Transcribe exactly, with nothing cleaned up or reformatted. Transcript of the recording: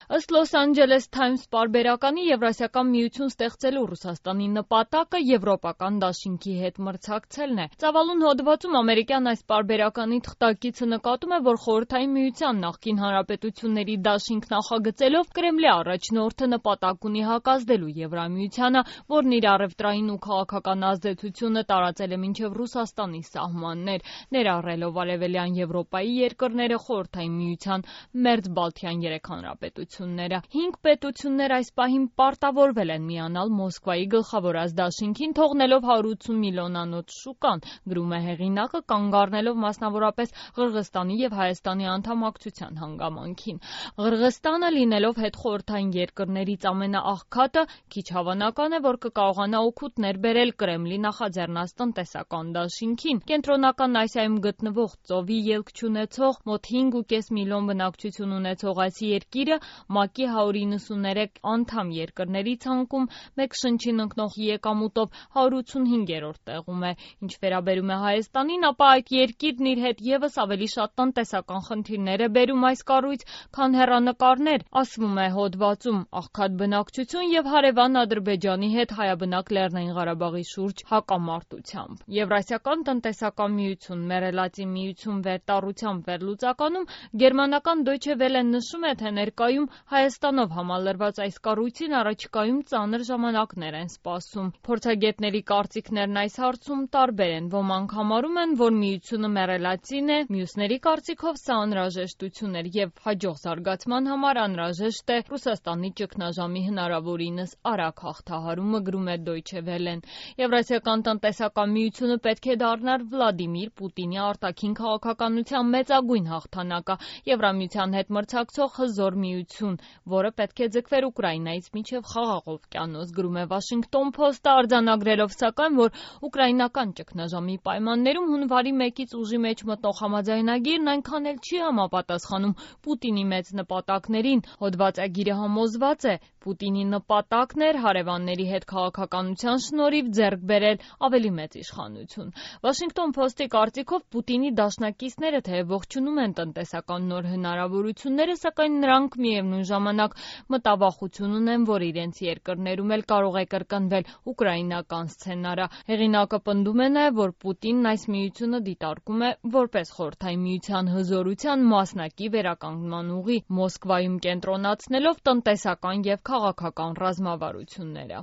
Ըստ Los Angeles Times պարբերականի Եվրասիական միություն ստեղծելու Ռուսաստանի նպատակը եվրոպական դաշինքի հետ մրցակցելն է։ Ծավալուն հոդվածում ամերիկյան այս պարբերականի թղթակիցը նկատում է, որ Խորհրդային Միության նախկին հանրապետությունների դաշինք նախագծելով Կրեմլի առաջնորդը նպատակ ունի հակազդելու Եվրամիությանը, որն իր առևտրային ու քաղաքական ազդեցությունը տարածել է մինչև Ռուսաստանի սահմաններ, ներառելով Արևելյան Եվրոպայի երկրները, Խորհրդային Միության մերձբալթյան երեք հանրապետությունները։ Հինգ պետություններ այս պահին պարտավորվել են միանալ Մոսկվայի գլխավոր դաշինքին, թողնելով հարյուր ութսուն միլիոնանոց շուկան, գրում է հեղինակը, կանգ առնելով մասնավորապես Ղրղստանի և Հայաստանի անդամակցության հանգամանքին։ Ղրղստանը լինելով հետխորհրդային երկրներից ամենաաղքատը, քիչ հավանական է, որ կկարողանա օգուտներ բերել Կրեմլի նախաձեռնած տնտեսական դաշինքին։ Կենտրոնական Ասիայում գտնվող ծովի ելք չունեցող մոտ հինգ ու կես միլիոն բնակչություն ունեցող այս երկիրը ՄԱԿ-ի հարյուր իննսուներեք անդամ երկրների ցանկում մեկ շնչին ընկնող եկամուտով հարյուր ութսունհինգերորդ տեղում է։ Ինչ վերաբերում է Հայաստանին, ապա այդ երկիրն իր հետ ևս ավելի շատ տնտեսական խնդիրներ է բերում այս կառույց, քան հեռանկարներ, ասվում է հոդվածում, աղքատ բնակչություն և հարևան Ադրբեջանի հետ հայաբնակ Լեռնային Ղարաբաղի շուրջ հակամարտությամբ։ Եվրասիական տնտեսական միություն, մեռելածի միություն վերտառությամբ վերլուծականում գերմանական Deutsche Welle-ն նշում է, թե ներկայում Հայաստանով համալրված այս կառույցին առաջիկայում ծանր ժամանակներ են սպասում։ Փորձագետների կարծիքներն այս հարցում տարբեր են։ Ոմանք համարում են, որ միությունը մեռելածին է, մյուսների կարծիքով սա անհրաժեշտություն էր և հաջող զարգացման համար անհրաժեշտ է Ռուսաստանի ճգնաժամի հնարավորինս արագ հաղթահարումը, գրում է Deutsche Welle-ն։ Եվրասիական տնտեսական միությունը պետք է դառնար Վլադիմիր Պուտինի արտաքին քաղաքականության մեծագույն հաղթանակը, Եվրամիության հետ մրցակցող հզոր միություն, որը պետք է ձգվեր Ուկրաինայից մինչև Խաղաղ օվկիանոս, գրում է Washington Post-ը, արձանագրելով սակայն, որ ուկրաինական ճգնաժամի պայմաններում հունվարի մեկից ուժի մեջ մտնող համաձայնագիրն այնքան էլ չի համապատասխանում Պուտինի մեծ նպատակներին։ Հոդվածագիրը համոզված է, Պուտինի նպատակն էր հարևանների հետ քաղաքականության շնորհիվ ձեռք բերել ավելի մեծ իշխանություն։ Washington Post-ի կարծիքով Պուտինի դաշնակիցները թեև ողջունում են տնտեսական նոր հնարավորությունները, սակայն նրանք միևնույն ժամանակ մտավախություն ունեն, որ իրենց երկրներում էլ կարող է կրկնվել ուկրաինական սցենարը։ Հեղինակը պնդում է նաև, որ Պուտինն այս միությունը դիտարկում է որպես Խորհրդային Միության հզորության մասնակի վերականգնման ուղի, Մոսկվայում կենտրոնացնելով տնտեսական և քաղաքական ռազմավարությունները։